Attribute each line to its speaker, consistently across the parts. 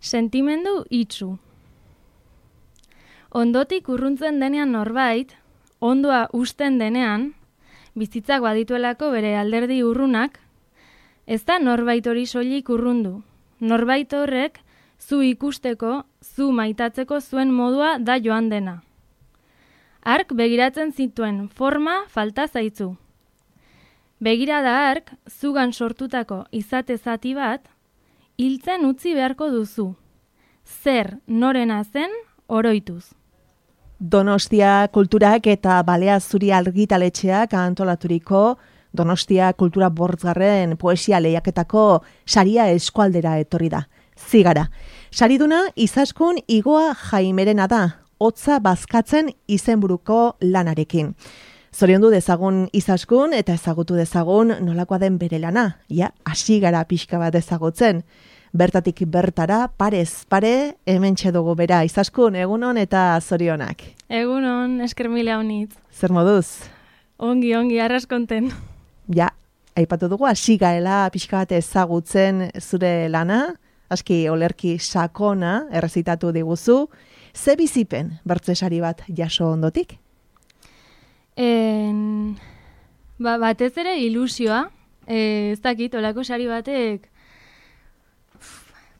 Speaker 1: Sentimendu itsu. Ondotik urruntzen denean norbait, ondoa usten denean, bizitzak badituelako bere alderdi urrunak, ez da norbait hori soilik urrundu. Norbait horrek zu ikusteko, zu maitatzeko zuen modua da joan dena. Hark begiratzen zituen forma falta zaitzu. Begirada hark zugan sortutako izate zati bat, hiltzen utzi beharko duzu. Zer norena zen oroituz.
Speaker 2: Donostia Kulturak eta Balea Zuri argitaletxeak antolaturiko Donostia Kultura Bortzgarren poesia lehiaketako saria eskualdera etorri da. Zigara. Sariduna Izaskun Igoa Jaimerena da, hotza bazkatzen izenburuko lanarekin. Zoriondu dezagun Izaskun eta ezagutu dezagun nolakoa den bere lana. Ja, hasi gara pixka bat ezagutzen. Bertatik bertara, parez pare, hementxe dugu bera. Izaskun, egunon eta zorionak.
Speaker 1: Egunon, esker mila honitz.
Speaker 2: Zer moduz?
Speaker 1: Ongi, arraskonten.
Speaker 2: Ja, aipatu dugu, hasi gaela pixka bat ezagutzen zure lana, aski olerki sakona errezitatu diguzu. Ze bizipen bertzesari bat jaso ondotik?
Speaker 1: Batez ere ilusioa, ez dakit, olako sari batek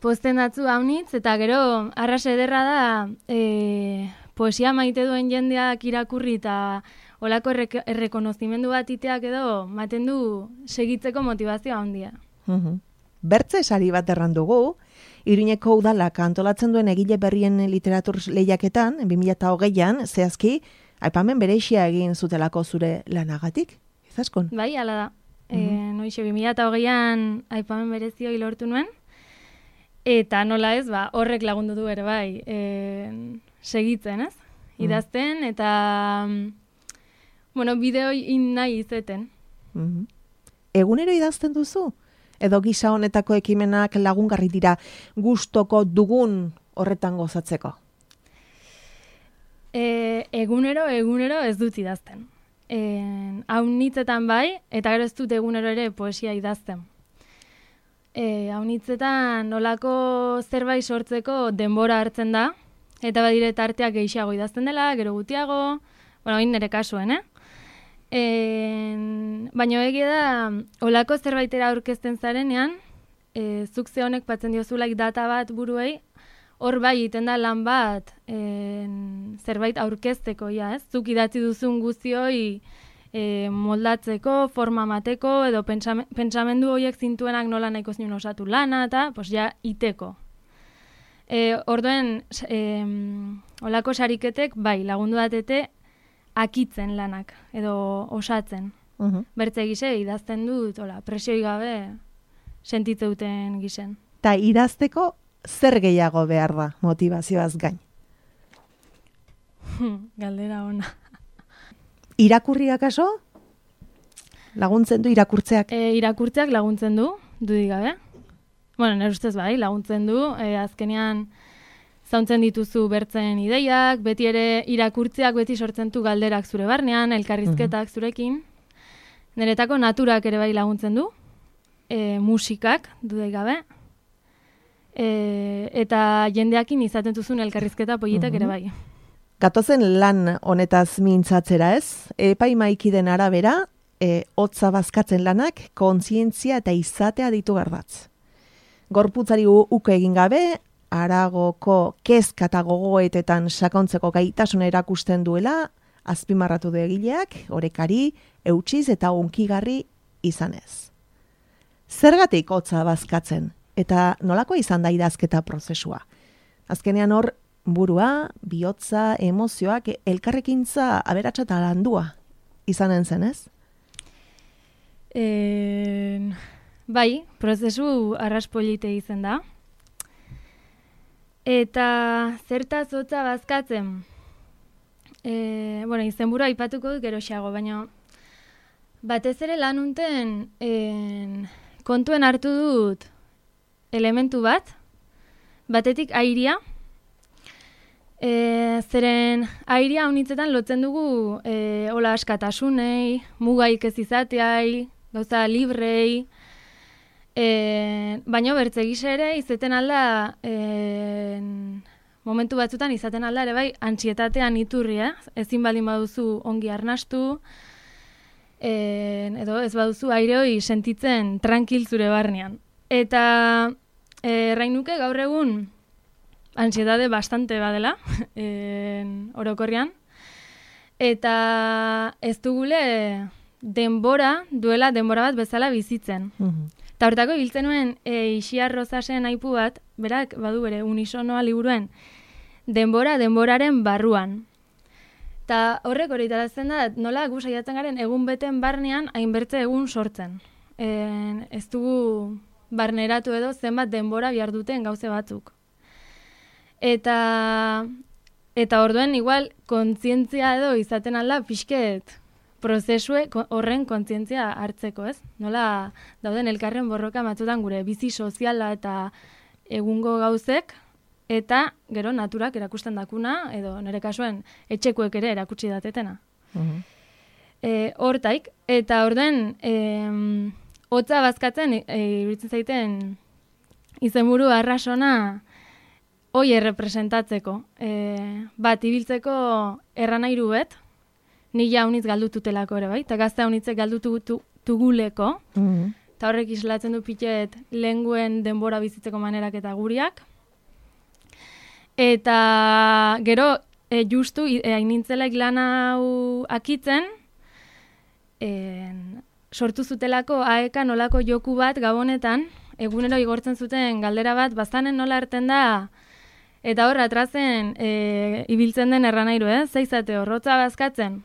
Speaker 1: posten datzu haunitz, eta gero arras ederra da poesia maite duen jendeak irakurri eta olako errekonozimendu bat iteak edo maten du segitzeko motivazioa handia.
Speaker 2: Bertze sari bat errandugu, Iruñeko udalak antolatzen duen egile berrien literatur lehiaketan, 2008an, zehazki, aipamen bereixia egin zutelako zure lanagatik, Izaskun?
Speaker 1: Bai, hala da. Noixe, 2008an aipamen berezioi lortu nuen, eta nola ez, horrek lagundu du ere bai, segitzen, ez? Idazten, eta, bideoi nahi izeten.
Speaker 2: Egunero idazten duzu? Edo gisa honetako ekimenak lagungarri dira gustoko dugun horretan gozatzeko?
Speaker 1: Egunero ez dut idazten. Haunitzetan bai, eta gero ez dut egunero ere poesia idazten. Haunitzetan nolako zerbait sortzeko denbora hartzen da, eta badire tarteak gehiago idazten dela, gero gutiago, hain nire kasuen, baina egia da, olako zerbaitera aurkezten zarenean, zuk ze honek patzen diozulaik data bat buruei, hor bai egiten da lan bat zerbait aurkezteko, ez? Zuk idatzi duzun guztioi moldatzeko, forma mateko, edo pentsamendu horiek zintuenak nola nahiko zinun osatu lana, eta iteko. Orduen, olako sariketek, bai, lagundu datete, akitzen lanak, edo osatzen. Bertze gise, idazten dut, presioi gabe sentitze duten gisen.
Speaker 2: Ta idazteko zer gehiago behar da motivazioaz gain?
Speaker 1: Galdera ona.
Speaker 2: Irakurriak aso? Laguntzen du irakurtzeak?
Speaker 1: Irakurtzeak laguntzen du, dudik gabe. Nire ustez bai, laguntzen du, azkenean zauntzen dituzu bertzen ideiak, beti ere irakurtzeak beti sortzen du galderak zure barnean, elkarrizketak zurekin. Niretako naturak ere bai laguntzen du, musikak, dudek gabe, eta jendeakin izaten duzun elkarrizketa politak ere bai.
Speaker 2: Gatozen lan honetaz mintzatzera ez, epaimaikiden arabera, hotza bazkatzen lanak, kontzientzia eta izatea ditu gardatz. Gorputzari uke egin gabe, Aragoko kezka eta gogoetetan sakontzeko gaitasuna erakusten duela, azpimarratu du egileak, orekari, eutsiz eta unkigarri izanez. Zergatik hotza bazkatzen, eta nolako izan da idazketa prozesua? Azkenean hor, burua, bihotza, emozioak, elkarrekintza aberatsa eta landua izanen zen, ez?
Speaker 1: Bai, prozesu arraspolite izan da. Eta zertaz hotza bazkatzen. Izenburua aipatuko dut geroxeago, baina batez ere lan unten kontuen hartu dut elementu bat, batetik airia, zeren airia honitzetan lotzen dugu hola askatasunei, mugaik ez izateai, gauza librei, Baina bertze gisa ere izaten alda, momentu batzutan izaten alda ere bai, antsietatean iturri, ezin baldin baduzu ongi arnastu, edo ez baduzu aire hori sentitzen tranquil zure barnean. Eta errain nuke gaur egun antsietate bastante badela, orokorrean, eta ez dugule denbora bat bezala bizitzen. Eta hortako hiltzen nuen Ixiar Rosasen aipu bat, berak badu bere unisonoa liburuen, denboraren barruan. Eta horrek hori tarazten da, nola gu saiatzen garen egun beten barnean hainbertze egun sortzen. Ez dugu barneratu edo zenbat denbora behar duten gauze batzuk. Eta orduen igual kontzientzia edo izaten alda pixket prozesue horren kontzientzia hartzeko, ez? Nola dauden elkarren borroka batzutan gure bizi soziala eta egungo gauzek, eta gero naturak erakusten dakuna, edo nire kasuen etxekuek ere erakutsi datetena. Hortaik, eta orduen hotza bazkatzen, iruditzen zaiten izenburu arrasona hoi errepresentatzeko. Bat, ibiltzeko erranairu bet, ni jauniz galdututelako ere bai, eta gazte haunitzek galdutuguleko, eta horrek islatzen du pitet lenguen denbora bizitzeko manerak eta guriak. Eta gero, justu, hainintzelek lan hau akitzen, sortu zutelako aeka nolako joku bat gabonetan, egunero igortzen zuten galdera bat, bazanen nola erten da, eta hor, atrazen ibiltzen den erranairu, zeizate horrotza bazkatzen.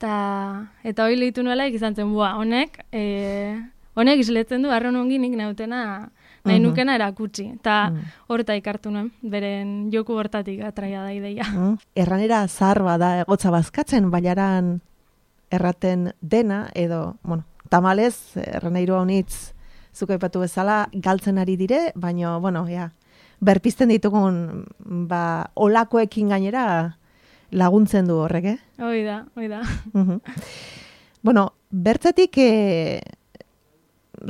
Speaker 1: Eta hori lehitu nuela izan zen, honek isletzen du arron ongi nik nautena nahi nukena erakutsi. Eta horta ikartu nuen, beren joku hortatik atraia da ideia.
Speaker 2: Erranera zahar bada egotza bazkatzen, baiaran erraten dena, edo, tamalez, erranairu honitz zuko aipatu bezala, galtzen ari dire, baina, berpizten ditugun, olakoekin gainera laguntzen du horrek,
Speaker 1: Hoi da.
Speaker 2: Bertzetik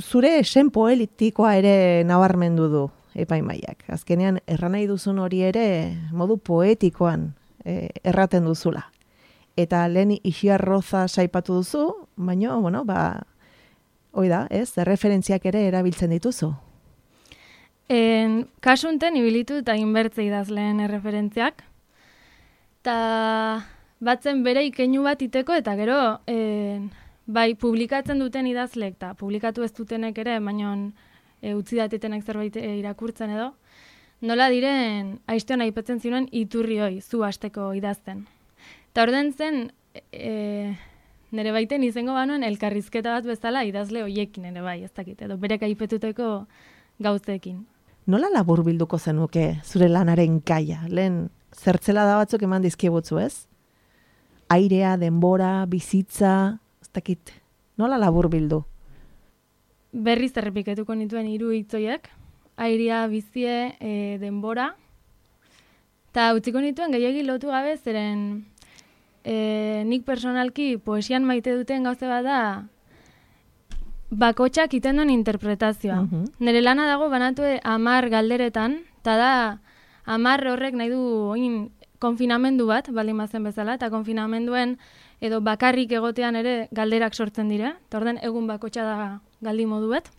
Speaker 2: zure esen poetikoa ere nabarmendu du epaimaiak. Azkenean, erranai duzun hori ere modu poetikoan erraten duzula. Eta lehen Ixiar Rosa saipatu duzu, baina, hoi da, referentziak ere erabiltzen dituzu.
Speaker 1: Kasunten ibilitu eta inbertze idazleen erreferentziak. Eta batzen bere ikeinu bat iteko, eta gero, bai, publikatzen duten idazlek, eta publikatu ez dutenek ere, baina utzi datetenek zerbait irakurtzen edo, nola diren, aiztean aipatzen zinuen iturri hoi, zu hasteko idazten. Eta orden zen, nire baiten izango banuen elkarrizketa bat bezala idazle hoiekin ere bai, ez dakit, edo berek aipetuteko gauzeekin.
Speaker 2: Nola labur bilduko zenuke zure lanaren gaia? Lehen zertzela da batzuk eman dizkibutzu, ez? Airea, denbora, bizitza, ez dakit. Nola labur bildu?
Speaker 1: Berriz errepiketuko nituen 3 hitzoiek. Airea, bizie, denbora. Eta utziko nituen gehiegi lotu gabe, zeren nik personalki poesian maite duten gauze bat da bakotxak iten duen interpretazioa. Nire lana dago banatu 10 galderetan, eta da 10 horrek nahi du konfinamendu bat, baldin bazen bezala, eta konfinamenduen edo bakarrik egotean ere galderak sortzen dira, eta orden egun bakotxa da galdi moduet.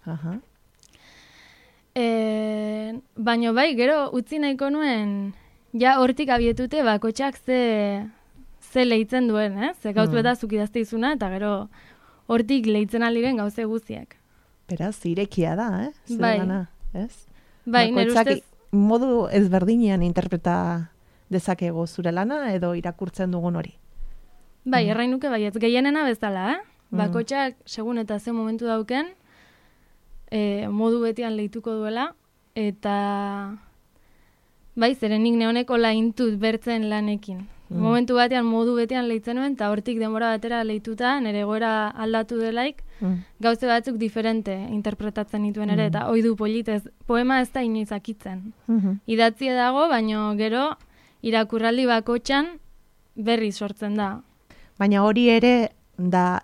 Speaker 1: Baina bai, gero utzi nahiko nuen, ja hortik abietute bakotxak ze lehitzen duen, ze gauz beta zukidazte izuna, eta gero hortik lehitzen aldiren gauze guztiak.
Speaker 2: Beraz, irekia da,
Speaker 1: Bai.
Speaker 2: Gana, ez?
Speaker 1: Bai, nire ustez...
Speaker 2: modu ezberdinean interpreta dezakego zure lana edo irakurtzen dugun hori.
Speaker 1: Bai, errain nuke baietz, gehienena bezala, Bakotxak segun eta ze momentu dauken, modu betian lehituko duela, eta bai, zeren nik neoneko laintut bertzen lanekin. Momentu batean modu betean lehitzen nuen, eta hortik denbora batera lehituta, nire egoera aldatu delaik, gauze batzuk diferente interpretatzen nituen ere, eta oidu politez, poema ez da inoiz akitzen. Idatzie dago, baino gero, irakurraldi bakotxan berri sortzen da.
Speaker 2: Baina hori ere da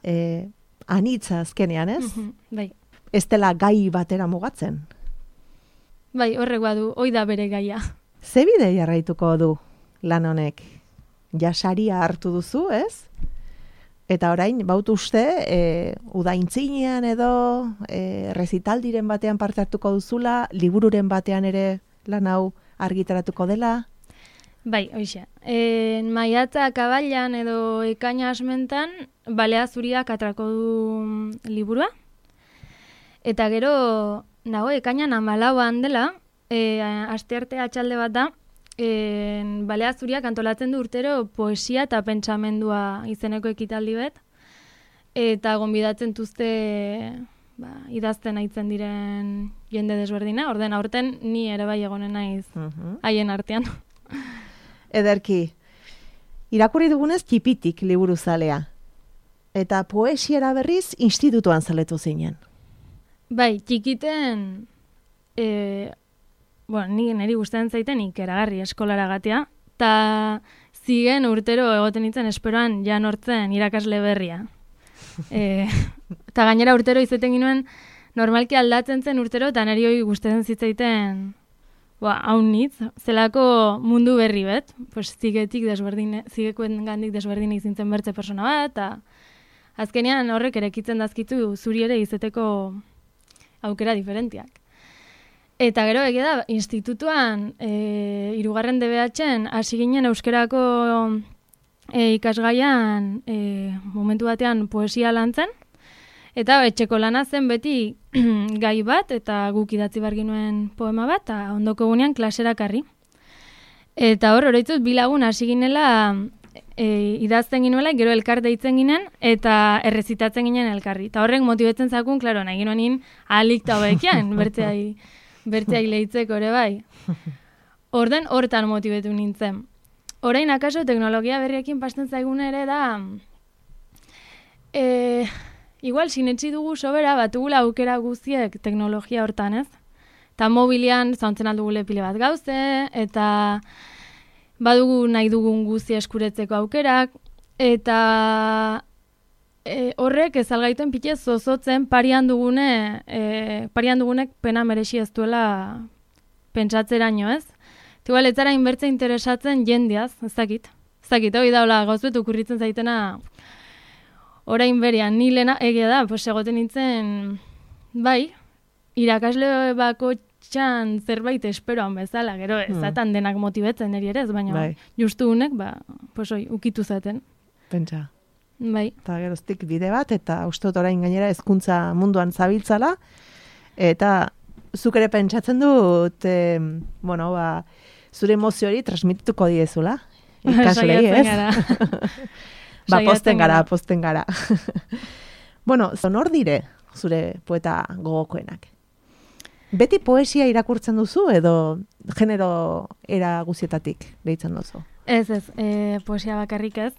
Speaker 2: anitza azkenean, ez?
Speaker 1: Bai.
Speaker 2: ez dela gai batera mugatzen.
Speaker 1: Bai, horrek badu, hoi da bere gaia.
Speaker 2: Ze bide jarraituko du lan honek? Ja saria hartu duzu, ez? Eta orain, baut uste, udaintzinean edo rezitaldiren batean parte hartuko duzula, libururen batean ere lan hau argitaratuko dela?
Speaker 1: Bai, hoxe. Maiatza kabailan edo ekaina asmentan, balea zuriak atrako du liburua. Eta gero, nago, ekainan 14an dela, astearte atxalde bat da, balea zuriak antolatzen du urtero poesia eta pentsamendua izeneko ekitaldi bet, eta gonbidatzen tuzte idazten aitzen diren jende desberdina, orden aurten ni ere bai egonen naiz haien artean.
Speaker 2: Ederki, irakurri dugunez txipitik liburu zalea, eta poesiara berriz institutuan zaletu zinen.
Speaker 1: Bai, txikiten, niri gustatzen zaiten ikeragarri eskolara gatea, eta zigen urtero egoten nintzen esperoan janortzen irakasle berria. Eta gainera urtero izeten ginuen normalki aldatzen zen urtero, eta niri hori gustatzen zitzaiten haun nitz, zelako mundu berri bet, pues, zigekoen gandik desberdin izintzen bertze persona bat, eta azkenean horrek erekitzen dazkitu zuri ere izeteko aukera diferentiak. Eta gero egia da, institutuan, 3. DBH-en hasi ginen euskerako ikasgaian momentu batean poesia lantzen, eta etxeko lana zen beti gai bat, eta guk idatzi behar ginuen poema bat, eta ondoko gunean klasera karri. Eta hor, oroitzut, bilagun hasi ginela idazten ginuela, gero elkar deitzen ginen, eta errezitatzen ginen elkarri. Eta horrek motibetzen zakun, klaro, nahi ginoen ahalik eta hobekian, bertzeai lehitzeko ere bai. Orden hortan motibetu nintzen. Orain akaso teknologia berriekin pasten zaigun ere da, igual sinetsi dugu sobera batugula aukera guztiek teknologia hortan, ez? Eta mobilian zauntzen aldugule pile bat gauze, eta badugu nahi dugun guztia eskuretzeko aukerak, eta horrek ez algaituen pitez zozotzen parian dugunek pena merexi ez duela pentsatzeraino, ez? Igual ez zara inbertze interesatzen jendeaz, ez dakit, hori da, hola, gauzbet okurritzen zaitena orain berian, ni lehena egia da, pues egoten nintzen, bai, irakasle bako txan zerbait esperoan bezala, gero ez zatan denak motibetzen eri ere ez, baina justu unek, pues ukitu zaten.
Speaker 2: Pentsa.
Speaker 1: Bai.
Speaker 2: Eta geroztik bide bat, eta uste dut orain gainera hezkuntza munduan zabiltzala, eta zuk ere pentsatzen dut, zure emozio hori transmitituko diezula, ikaslei, ez? Posten gara. Bueno, nor dire zure poeta gogokoenak? Beti poesia irakurtzen duzu edo genero era guzietatik deitzen duzu?
Speaker 1: Ez, poesia bakarrik ez.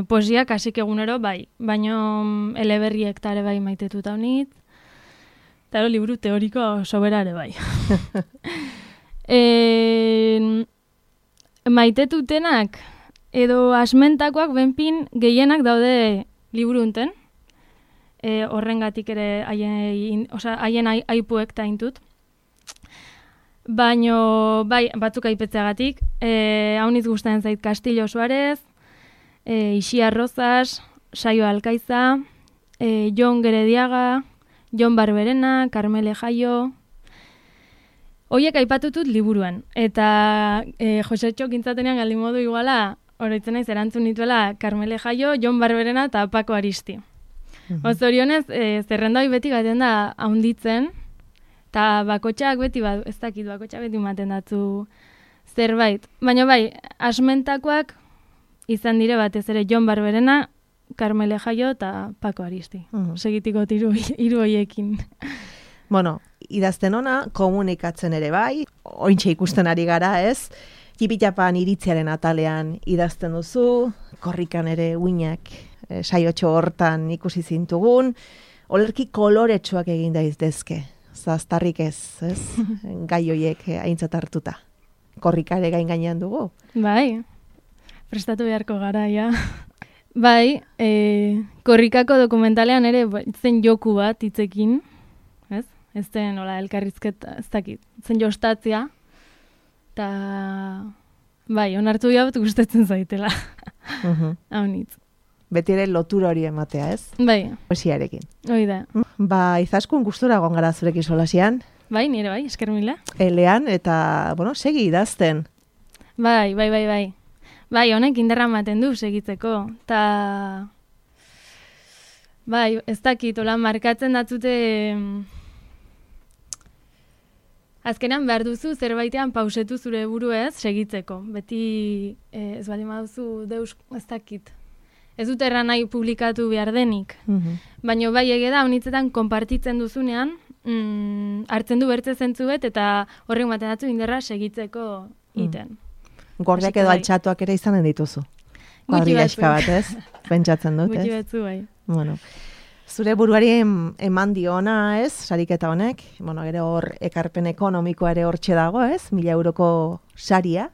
Speaker 1: Poesia kasik egunero bai, baino eleberriek tare bai maitetuta honit, eta liburu teoriko sobera ere bai. Maitetutenak edo asmentakoak benpin gehienak daude liburu unten, horrengatik ere haien aipuek taintut. Baino, bai, batzuk aipetzeagatik, hauniz gustatzen zait Castillo Suarez, Ixia Rozas, Saio Alkaiza, Jon Gerediaga, Jon Barberena, Carmele Jaio. Hoiek aipatutut liburuan. Eta Josetxo kintzatenean galdin modu iguala, oroitzen naiz erantzun nituela Carmele Jaio, Jon Barberena eta Paco Aristi. Zorionez, zerrenda hori beti gaten da haunditzen, eta bakotxak beti ematen datzu zerbait. Baina bai, asmentakoak izan dire batez ere Jon Barberena, Carmele Jaio eta Paco Aristi. Segitiko hiru hoiekin.
Speaker 2: Bueno, idazten ona, komunikatzen ere bai, ointxe ikusten ari gara, ez? Tipitapan iritziaren atalean idazten duzu, korrikan ere uinak saiotxo hortan ikusi zintugun, olerki koloretsuak egin daiztezke, zaztarrik ez? Gai hoiek aintzat hartuta. Korrika ere gain gainean dugu.
Speaker 1: Bai, prestatu beharko gara, ja. Bai, korrikako dokumentalean ere zen joku bat hitzekin, ez? Ez zen, hola, elkarrizketa, ez dakit, zen jostatzea, eta bai, onartu diabut gustatzen zaitela. Haunitz.
Speaker 2: Beti ere lotura hori ematea, ez?
Speaker 1: Bai.
Speaker 2: Poesiarekin.
Speaker 1: Hoi da.
Speaker 2: Ba, Izaskun gustura egon gara zurekin solasian.
Speaker 1: Bai, nire bai, esker mila.
Speaker 2: Elean, eta, bueno, segi idazten.
Speaker 1: Bai. Bai, honek indarra ematen du segitzeko. Ta bai, ez dakit, hola, markatzen datzute azkenan behar duzu zerbaitean pausetu zure buruez segitzeko. Beti ez baldin baduzu deus, ez dakit. Ez dut erran nahi publikatu behar denik. Baina bai egeda, honitzetan konpartitzen duzunean, hartzen du bertze zentzuet eta horrek ematen datzu indarra segitzeko iten.
Speaker 2: Gordiak edo altxatuak ere izanen dituzu. Kuadrigaxka bat, ez? Pentsatzen dut, ez?
Speaker 1: Gutxi batzu, bai.
Speaker 2: Bueno, zure buruari eman diona, ez? Sariketa honek. Bueno, gero hor ekarpen ekonomikoa ere hortxe dago, ez? 1.000 euroko saria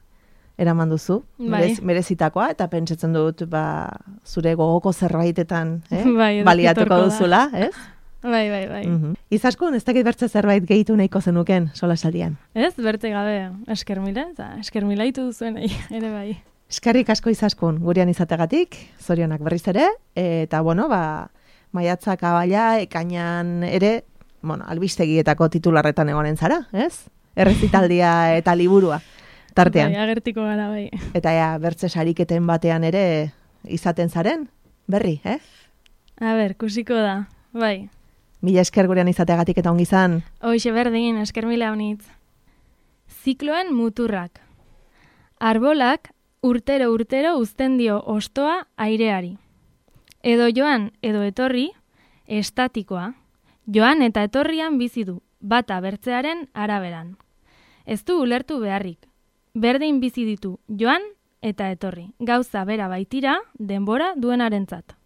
Speaker 2: eraman duzu,
Speaker 1: Bai.
Speaker 2: merezitakoa, eta pentsatzen dut, ba, zure gogoko zerbaitetan,
Speaker 1: Bai,
Speaker 2: baliatuko
Speaker 1: etorko da.
Speaker 2: duzula, ez?
Speaker 1: Bai.
Speaker 2: Izaskun, ez dakit bertze zerbait gehitu nahiko zenuken solasaldian.
Speaker 1: Ez, bertze gabe, esker mila, eta esker mila ditu duzuen ere bai.
Speaker 2: Eskerrik asko Izaskun, gurean izategatik, zorionak berriz ere, eta bueno, ba, maiatzak abaila, ekainan ere, bueno, albistegietako titularretan egonen zara, ez? Errezitaldia eta liburua, tartean.
Speaker 1: Bai, agertiko gara, bai.
Speaker 2: Eta ja, bertze sariketen batean ere izaten zaren, berri,
Speaker 1: A ber, kusiko da, bai.
Speaker 2: Mila esker gurean izateagatik eta ongi izan.
Speaker 1: Hoxe berdin, esker mila honitz. Zikloen muturrak. Arbolak urtero uzten dio ostoa aireari. Edo joan, edo etorri, estatikoa. Joan eta etorrian bizi du, bata bertzearen araberan. Ez du ulertu beharrik. Berdin bizi ditu joan eta etorri. Gauza bera baitira, denbora duenarentzat.